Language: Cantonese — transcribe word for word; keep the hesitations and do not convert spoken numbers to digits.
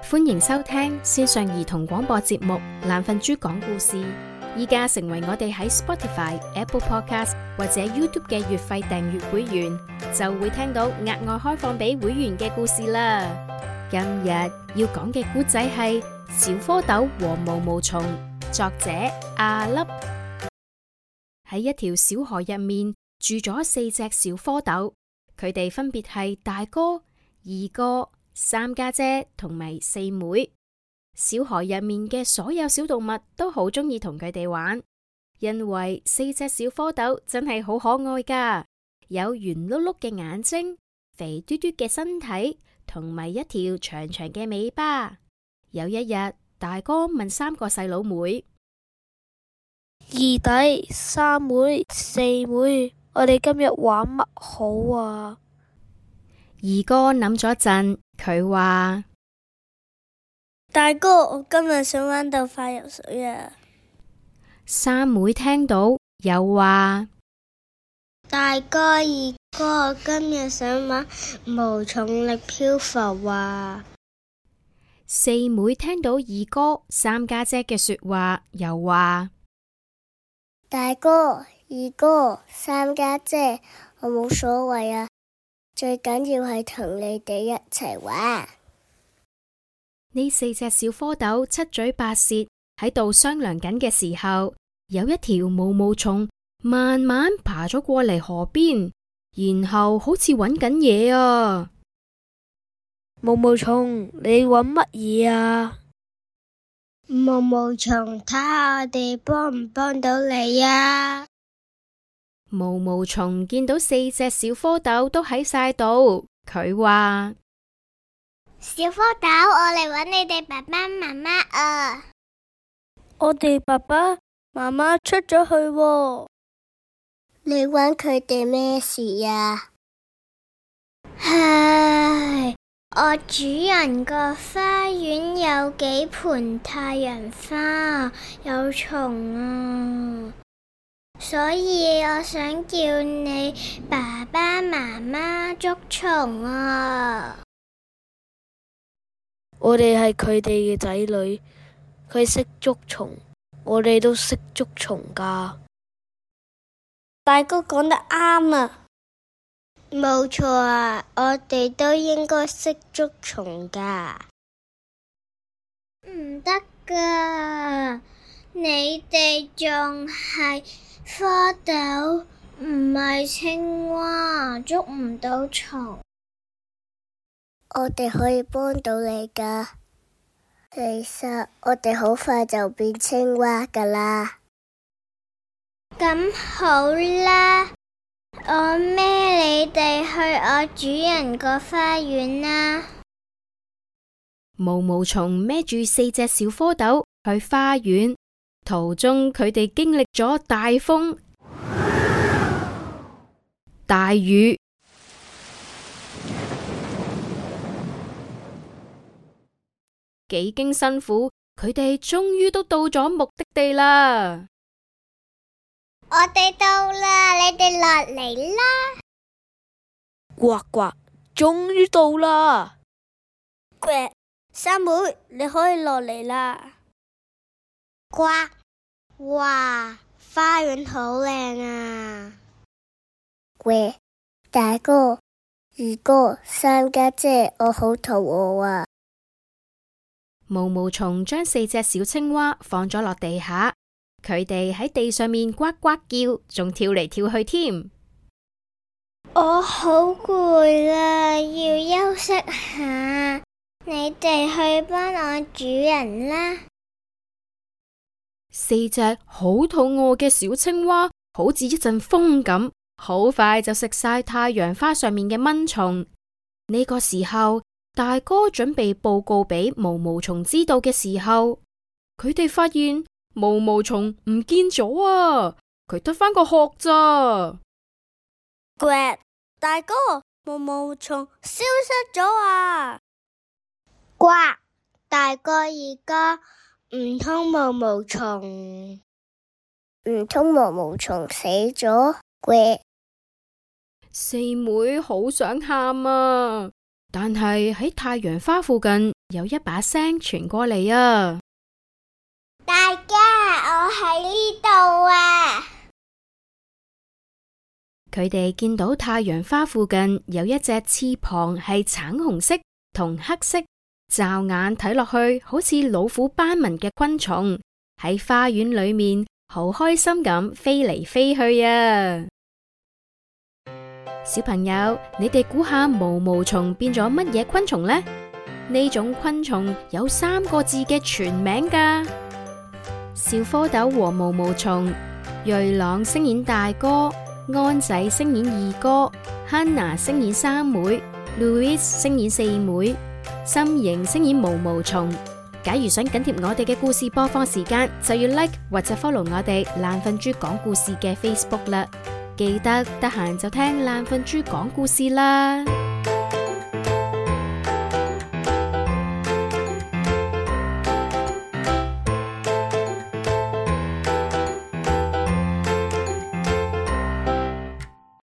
歡迎收聽線上兒童廣播節目《懶瞓豬講故事》。依家成為我哋喺 Spotify、Apple Podcast 或者 YouTube 嘅月費訂閱會員，就會聽到額外開放俾會員嘅故事啦。今日要講嘅故仔係小蝌蚪和毛毛蟲，作者阿粒。喺一條小河入面住咗四隻小蝌蚪，佢哋分別係大哥、二哥、三家姐同埋四妹。小河入面嘅所有小動物都好鍾意同佢哋玩，因為四隻小蝌蚪真係好可愛噶，有圓碌碌嘅眼睛、肥嘟嘟嘅身體同埋一條長長嘅尾巴。有一日，大哥問三個細佬妹：二弟、三妹、四妹，我哋今日玩乜好啊？二哥諗咗陣，佢話：大哥，我今日想玩鬥快游水啊！三妹聽到又話：大哥、二哥，我今日想玩無重力漂浮啊！四妹聽到二哥、三家姐嘅說話，又話：大哥、二哥、三家姐，我冇所謂啊，最緊要係同你哋一齊玩。呢四隻小蝌蚪七嘴八舌喺度商量緊嘅時候，有一條毛毛蟲慢慢爬咗過嚟河邊，然後好似揾緊嘢啊！毛毛蟲，你揾乜嘢啊？毛毛蟲，睇下我哋幫唔幫到你啊！毛毛蟲見到四隻小蝌蚪都喺晒度，佢話：小蝌蚪，我嚟揾你哋爸爸媽媽啊！我哋爸爸媽媽出咗去喎。你揾佢哋咩事呀？唉，我主人個花園有幾盆太陽花，有蟲啊，所以我想叫你爸爸媽媽捉蟲啊！我哋係佢哋嘅仔女，佢識捉蟲，我哋都識捉蟲噶。大哥講得啱啊！冇錯啊，我哋都應該識捉蟲噶。唔得噶，你哋仲係蝌蚪，唔係青蛙，捉唔到蟲。我哋可以幫到你噶，其實我哋好快就變青蛙噶啦。咁好啦，我孭你哋去我主人個花園啦。毛毛蟲孭住四隻小蝌蚪去花園，途中佢哋經歷咗大風、大雨。幾經辛苦，佢哋終於都到咗目的地啦。我哋到啦，你哋落嚟啦！呱呱，終於到啦！呱，三妹，你可以落嚟啦！呱，哇，花園好靚啊！呱，大哥、二哥、三家姐，我好肚餓啊！毛毛蟲將四隻小青蛙放咗落地下，佢哋喺地上面呱呱叫，仲跳嚟跳去添。我好攰啦，要休息下。你哋去幫我主人啦。四隻好肚餓嘅小青蛙，好似一陣風咁，好快就食晒太陽花上面嘅蚊蟲。呢個時候，大哥準備報告俾毛毛蟲知道嘅時候，佢哋發現毛毛蟲唔見咗啊！佢得返個殼咋？呱，大哥，毛毛蟲消失咗啊！呱，大哥、二哥，唔通毛毛蟲？唔通毛毛蟲死咗？呱，四妹好想喊啊！但係喺太陽花附近有一把聲傳過嚟啊！大家，我喺呢度啊！佢哋見到太陽花附近有一隻翅膀係橙紅色同黑色，驟眼睇落去好似老虎斑紋嘅昆蟲，喺花園裏面好開心咁飛嚟飛去啊！小朋友，你哋估下毛毛蟲變咗乜嘢昆蟲呢？呢種昆蟲有三個字嘅全名噶。小蝌蚪和毛毛蟲，瑞朗飾演大哥，安仔飾演二哥，Hannah飾演三妹，Louise飾演四妹，心瑩飾演毛毛蟲。假如想緊貼我哋嘅故事播放時間，就要 like 或者 follow 我哋懶瞓豬講故事嘅 Facebook 啦。記得得閒就聽懶瞓豬講故事啦。